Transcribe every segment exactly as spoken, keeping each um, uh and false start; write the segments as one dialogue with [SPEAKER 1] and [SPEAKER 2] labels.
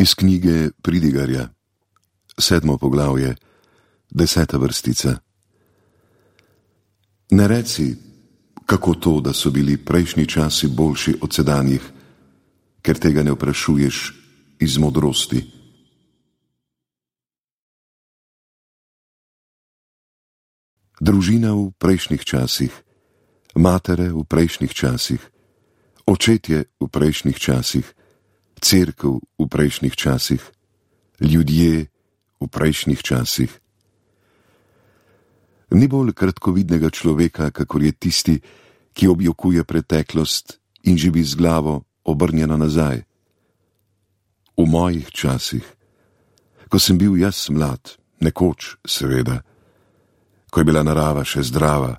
[SPEAKER 1] Iz knjige Pridigarja, sedmo poglavje, deseta vrstica. Ne reci, kako to, da so bili prejšnji časi boljši od sedanjih, ker tega ne vprašuješ iz modrosti. Družina v prejšnjih časih, matere v prejšnjih časih, očetje v prejšnjih časih, cerkev v prejšnjih časih, ljudje v prejšnjih časih. Ni bolj kratkovidnega človeka, kakor je tisti, ki objokuje preteklost in živi z glavo obrnjeno nazaj. V mojih časih, ko sem bil jaz mlad, nekoč seveda, ko je bila narava še zdrava,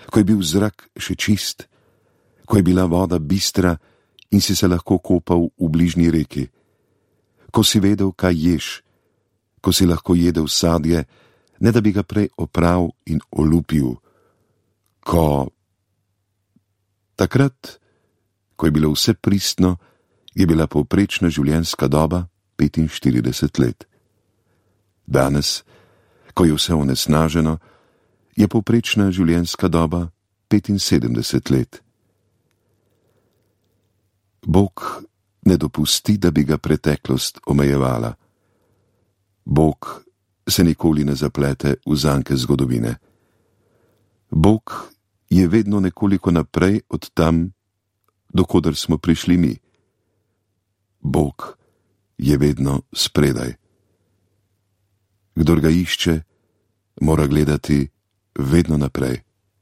[SPEAKER 1] ko je bil zrak še čist, ko je bila voda bistra in si se lahko kopal v bližnji reki, ko si vedel, kaj ješ, ko si lahko jedel sadje, ne da bi ga prej opral in olupil, ko... Takrat, ko je bilo vse pristno, je bila povprečna življenjska doba petinštirideset let. Danes, ko je vse onesnaženo, je povprečna življenjska doba petinsedemdeset let. Bog ne dopusti, da bi ga preteklost omejevala. Bog se nikoli ne zaplete v zanke zgodovine. Bog je vedno nekoliko naprej od tam, dokoder smo prišli mi. Bog je vedno spredaj. Kdor ga išče, mora gledati vedno naprej.